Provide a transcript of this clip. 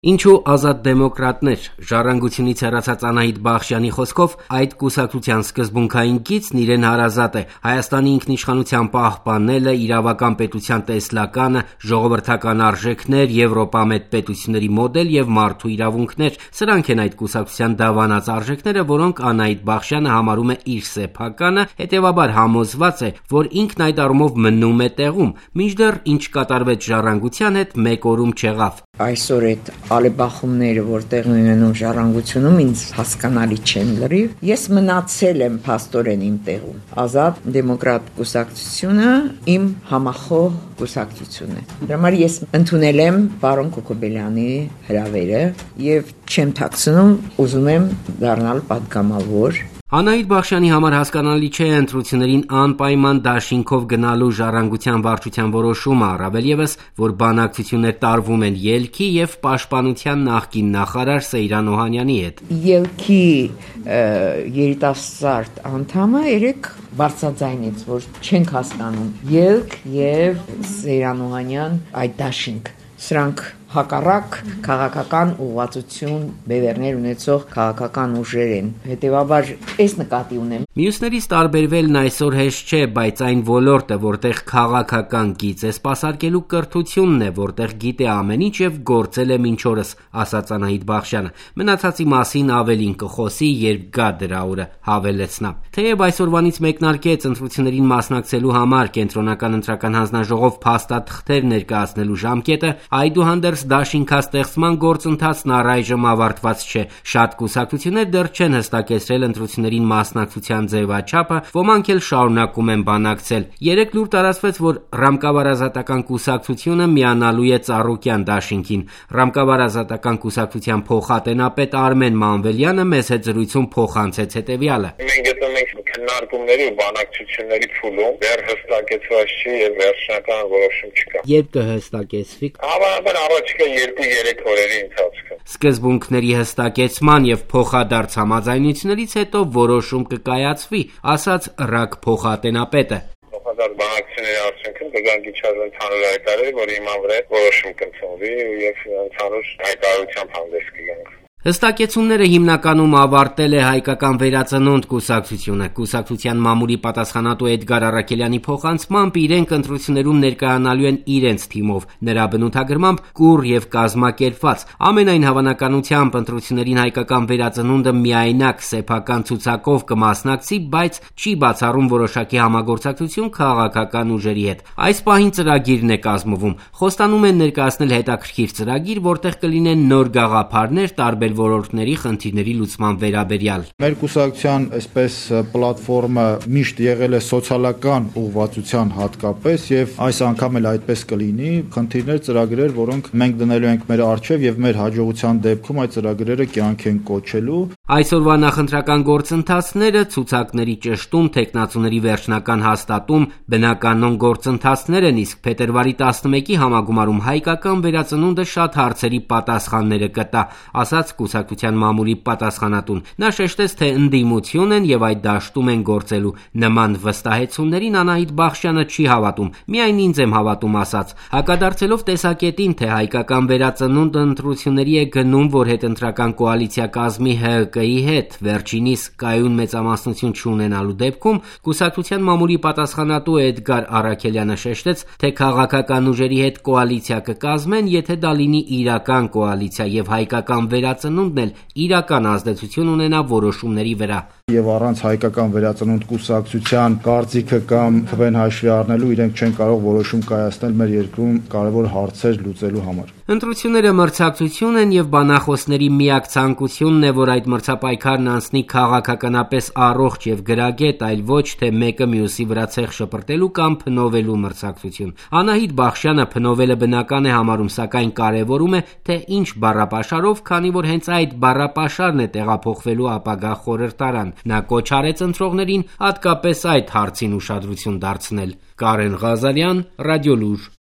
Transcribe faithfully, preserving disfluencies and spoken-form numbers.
Ինչու ազատ դեմոկրատներ, ժառանգությունից հեռացած Անահիտ Բախշյանի խոսքով այդ կուսակցության սկզբունքային գիծն իրեն հարազատ է, Հայաստանի ինքնիշխանության պահպանելը, իրավական պետության տեսլականը, ժողովրդական արժեքներ, եվրոպամետ պետությունների մոդել և մարդու իրավունքներ, սրանք են այդ կուսակցության դավանած արժեքները, որոնք Անահիտ Բախշյանը համարում է իր սեփականը, հետևաբար համոզված է, որ ինքն այդ առումով մնում է տեղում, մինչդեռ ինչ կատարվեց ժառանգության հետ մեկ օրում չեղավ։ Այսօր այդ ալեբախումները, որ տեղի ունենում ժառանգությունում, ինձ հասկանալի չեն լրիվ։ Ես մնացել եմ փաստորեն իմ տեղում։ Ազատ դեմոկրատ կուսակցությունը իմ համախոհ կուսակցությունն է։ Դրա համար ես ընդունել եմ պարոն Կոկոբելյանի հրավերը եւ չեմ թաքցնում, ուզում եմ դառնալ պատգամավոր։ Անահիտ Բախշյանի համար հասկանալի չէ ընտրություններին անպայման դաշինքով գնալու ժառանգության վարչության որոշումը, առավել ևս, որ բանակցություններ տարվում են ելքի և պաշտպանության նախկին նախարար Սեյրան Օհանյանի հետ։ Ելքի երիտասարդ անդամը երեք բարձրաձայնեց, որ չենք հասկանում ելք և Սեյրան Օհանյան այդ դաշինք։ Սրանք հակառակ քաղաքական ուղղվածություն բևեռներ ունեցող քաղաքական ուժեր են։ Հետևաբար այս նկատի ունեմ։ Մյուսներից տարբերվելն այսօր հեշտ չէ, բայց այն ոլորտը, որտեղ քաղաքական գիծ է սպասարկելու կրթությունն է, որտեղ գիտե ամեն ինչ և գործել է մինչ օրս, ասաց Անահիտ Բախշյանը։ Մնացածի մասին ավելին կխոսի, երբ գա դրա օրը, հավելեց նա։ Թեև այսօրվանից մեկնարկեց ընտրություններին մասնակցելու համար կենտրոնական ընտրական հանձնաժողով փաստաթղթեր ներկայացնելու ժամկետը, այդուհանդերձ դաշինքաստեղծման գործընթացն առայժմ ավարտված չէ։ Շատ կուսակցություններ դեռ չեն հստակեցրել ընտրություններին մասնակցության ձևաչափը, ոմանք էլ շարունակում են բանակցել։ Երեկ լուր տարածվեց, որ Ռամկավար-Ազատական կուսակցությունը միանալու է Ծառուկյան դաշինքին։ Ռամկավար-Ազատական կուսակցության փոխատենապետ Արմեն Մանվելյանը մեզ հետ զրույցում փոխանցեց հետևյալը։ Մենք գտնում ենք քննարկումների ու բանակցությունների փուլում, դեռ հստակեցված չի եւ վերջնական որոշում չկա։ Երբ կհստակեցվի։ Հավանաբար առաջիկա երկու-երեք օրերի ընթացքում։ Սկզբունքների հստակեցման եւ փոխադարձ համաձայնություններից հետո որոշում կկայացվի, ասաց ՌԱԿ փոխատենապետը։ Փոխադարձ բանակցությունների արդյունքում կգան գիչաժ ընդհանուր հայտարարի, որ հիման վրա որոշում կընդունվի եւ ընդհանուր հայտարարությամբ հանդես կգանք։ Հստակեցումները հիմնականում ավարտել է Հայկական վերածնունդ կուսակցությունը։ Կուսակցության մամուլի պատասխանատու Էդգար Առաքելյանի փոխանցմամբ իրենք ընտրություններում ներկայանալու են իրենց թիմով, նրա բնութագրմամբ կուռ եւ կազմակերպված։ Ամենայն հավանականությամբ ընտրություններին Հայկական վերածնունդը միայնակ սեփական ցուցակով կմասնակցի, բայց չի բացառում որոշակի համագործակցություն քաղաքական ուժերի հետ։ Այս պահին ծրագիրն է կազմվում։ Խոստանում են ներկայացնել հետաքրքիր ծրագիր, որտեղ կլինեն նոր գաղափարներ տարբեր ոլորտների խնդիրների լուծման վերաբերյալ։ Մեր կուսակցության այսպես պլատֆորմը միշտ եղել է սոցիալական ուղղվածության հատկապես եւ այս անգամ էլ այդպես կլինի։ Խնդիրներ, ծրագրեր, որոնք մենք դնելու ենք մեր առջև եւ մեր հաջողության դեպքում այդ ծրագրերը կյանք են կոչելու։ Այսօրվա նախընտրական գործընթացները, ցուցակների ճշտում, տեխնացուների վերջնական հաստատում, բնականոն գործընթացներ են, իսկ փետրվարի տասնմեկի համագումարում Հայկական վերածնունդը շատ հարցերի պատասխանները կտա, ասաց կուսակցության մամուլի պատասխանատուն։ Նա շեշտեց, թե ընդդիմություն են եւ այդ դաշտում են գործելու։ Նման վստահեցումներին Անահիտ Բախշյանը չի հավատում, միայն ինձ եմ հավատում, ասաց։ Հակադարձելով տեսակետին, թե Հայկական վերածնունդը ընտրությունների է գնում, որ հետընտրական կոալիցիա կազմի ՀՀԿ-ի հետ, վերջինիս կայուն մեծամասնություն չունենալու դեպքում, կուսակցության մամուլի պատասխանատու Էդգար Առաքելյանը շեշտեց, թե քաղաքական ուժերի հետ կոալիցիա կկազմեն, եթե դա լինի իրական կոալիցիա եւ Հայկական վերածնունդն էլ իրական ազդեցություն ունենա որոշումների վրա։ Եվ առանց Հայկական վերածնունդ կուսակցության կարծիքը կամ քվեն հաշվի առնելու իրենք չեն կարող որոշում կայացնել մեր երկրում կարևոր հարցեր լուծելու համար։ Ընտրությունները մրցակցություն են եւ բանախոսների միակ ցանկությունն է, որ այդ մրցապայքարն անցնի քաղաքականապես առողջ եւ գրագետ, այլ ոչ թե մեկը մյուսի վրա ցեխ շպրտելու կամ փնովելու մրցակցություն։ Անահիտ Բախշյանը փնովելը բնական է համարում, սակայն կարևորում է, թե ինչ բառապաշարով, քանի որ հենց այդ բառապաշարն է տեղափոխվելու ապագա խորհրդարան։ Նա կոչ արեց ընտրողներին հատկապես այդ հարցին ուշադրություն դարձնել։ Կարեն Ղազարյան, Ռադիոլուր։